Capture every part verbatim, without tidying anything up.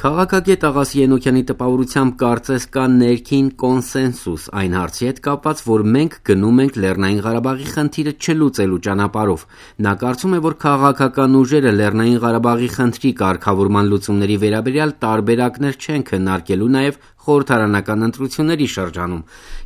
Քաղաքագետ Աղասի Ենոքյանի տպավորությամբ կարծես կա ներքին կոնսենսուս այն հարցի հետ կապված, որ մենք գնում ենք Լեռնային Ղարաբաղի խնդիրը չլուծելու ճանապարհով։ Նա կարծում է, որ քաղաքական ուժերը Լեռնային Ղարաբաղի խնդրի կարգավորման լուծումների վերաբերյալ տարբերակներ չեն քննարկելու նաև խորհրդարանական ընտրությունների շրջանում։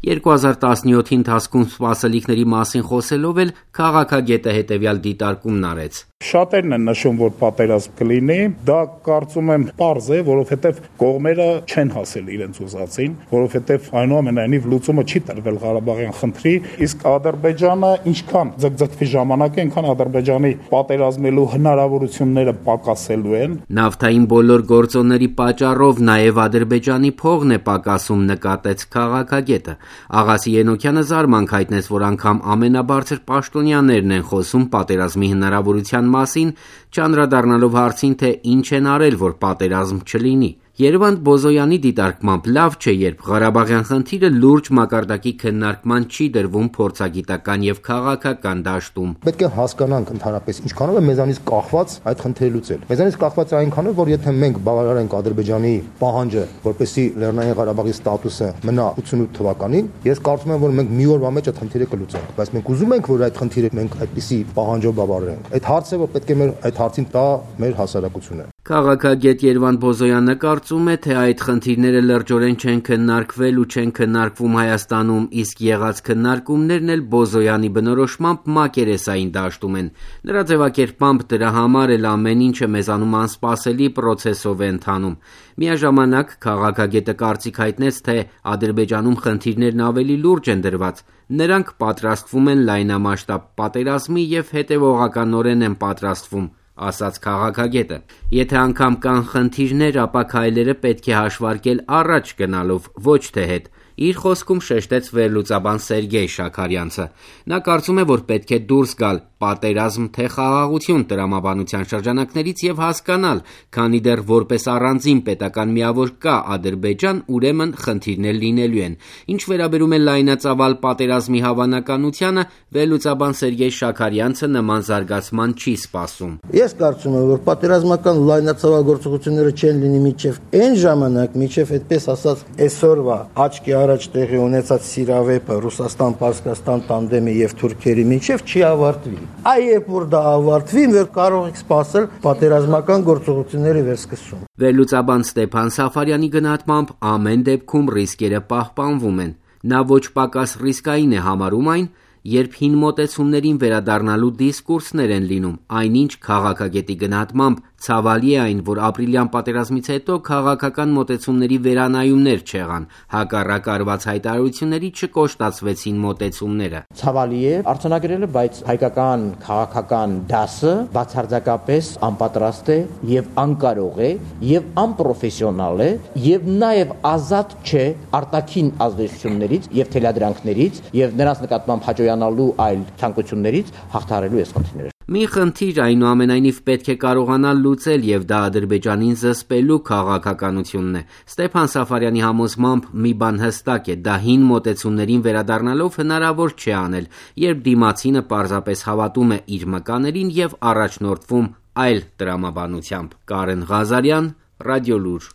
երկու հազար տասնյոթի ընթացքում սպասելիքների մասին խոսելով էլ քաղաքագետը հետևյալ դիտարկումն արեց. Շատերն են նշում, որ պատերազմ կլինի, դա կարծում եմ պարզ է, որովհետև կողմերը չեն հասել իրենց ուզածին, որովհետև այնուամենայնիվ լուծումը չի տրվել Ղարաբաղյան խնդրի, իսկ Ադրբեջանը ինչքան ձգձգվի ժամանակը, այնքան Ադրբեջանի պատերազմելու հնարավորությունները պակասելու են։ Նավթային բոլոր գործոնների պատճառով նաև Ադրբեջանի փողն է պակասում, նկատեց քաղաքագետը։ Աղասի Ենոքյանը զարմանք հայտնեց, որ անգամ ամենաբարձր պաշտոնյաներն են խոսում պատերազմի հնարավորության մասին, չանդրադառնալով հարցին, թե ինչ են արել, որ պատերազմ չլինի։ Երվանդ Բոզոյանի դիտարկմամբ լավ չէ, երբ Ղարաբաղյան խնդիրը լուրջ մակարդակի քննարկման չի դրվում փորձագիտական եւ քաղաքական դաշտում։ Պետք է հասկանանք ընդհանրապես ինչքանով է մեզանից կախված այդ խնդիրը լուծել։ Մեզանից կախված է այնքանով, որ եթե մենք բավարարենք Ադրբեջանի պահանջը, որպեսզի Լեռնային Ղարաբաղի ստատուսը մնա ութսունութ թվականին, ես կարծում եմ, որ մենք մի օրվա մեջ այդ խնդիրը կլուծենք, բայց մենք ուզում ենք, որ այդ խնդիրը մենք այդպիսի պահանջով բավարարենք։ Այդ հարցը, որ պետք է մեր այդ հարցին տա մեր հասարակությունը։ Քաղաքագետ Երվանդ Բոզոյանը կարծում է, թե այդ խնդիրները լրջորեն չեն քննարկվել ու չեն քննարկվում Հայաստանում, իսկ եղած քննարկումներն էլ Բոզոյանի բնորոշմամբ մակերեսային դաշտում են։ Նրա ձևակերպմամբ դրա համար էլ ամեն ինչը մեզանում անսպասելի պրոցեսով է ընթանում։ Միաժամանակ քաղաքագետը կարծիք հայտնեց, թե Ադրբեջանում խնդիրներն ավելի լուրջ են դրված։ Նրանք պատրաստվում են լայնամասշտաբ պատերազմի եւ հետեւողականորեն են պատրաստվում, ասաց քաղաքագետը։ Եթե անգամ կան խնդիրներ, ապա քայլերը պետք է հաշվարկել առաջ գնալով, ոչ թե հետ։ Իր խոսքում շեշտեց վերլուծաբան Սերգեյ Շաքարյանցը։ Նա կարծում է, որ պետք է դուրս գալ պատերազմ թե խաղաղություն տրամաբանության շրջանակներից եւ հասկանալ, քանի դեռ որպես առանձին պետական միավոր կա Ադրբեջան, ուրեմն խնդիրներ լինելու են։ Ինչ վերաբերում է լայնածավալ պատերազմի հավանականությանը, վերլուծաբան Սերգեյ Շաքարյանցը նման զարգացման չի սպասում։ Ես կարծում եմ, որ պատերազմական լայնածավալ գործողությունները չեն լինի մինչև այն ժամանակ, մինչև այդպես ասած այսօրվա աչքի առաջ տեղի ունեցած սիրավեպը Ռուսաստան-Պարսկաստան տանդեմի եւ թուրքերի միջև չի ավարտվի։ Այ երբ որ դա ավարտվի, մենք կարող ենք սպասել պատերազմական գործողությունների վերսկսում։ Վերլուծաբան Ստեփան Սաֆարյանի գնահատմամբ ամեն դեպքում ռիսկերը պահպանվում են։ Նա ոչ պակաս ռիսկային է համարում այն, երբ հին մոտեցումներին վերադառնալու դիսկուրսներ են լինում, այնինչ քաղաքագետի գնահատմամբ ցավալի է այն, որ ապրիլյան պատերազմից հետո քաղաքական մոտեցումների վերանայումներ չեղան, հակառակ արված հայտարարությունների չկոշտացվեցին մոտեցումները։ Ցավալի է արձանագրելը, բայց հայկական քաղաքական դասը բացարձակապես անպատրաստ է եւ անկարող է եւ անպրոֆեսիոնալ է եւ նաեւ ազատ չէ արտաքին ազդեցություններից եւ թելադրանքներից եւ նրանց նկատմամբ հաջողանալու այլ ցանկություններից հաղթահարելու այս խնդիրները։ Մի խնդիր այնուամենայնիվ պետք է կարողանալ լուծել եւ դա Ադրբեջանին զսպելու քաղաքականությունն է։ Ստեփան Սաֆարյանի համոզմամբ մի բան հստակ է, դա հին մոտեցումներին վերադառնալով հնարավոր չէ անել, երբ դիմացինը պարզապես հավատում է իր մկաներին եւ առաջնորդվում այլ տրամաբանությամբ։ Կարեն Ղազարյան, Ռադիոլուր։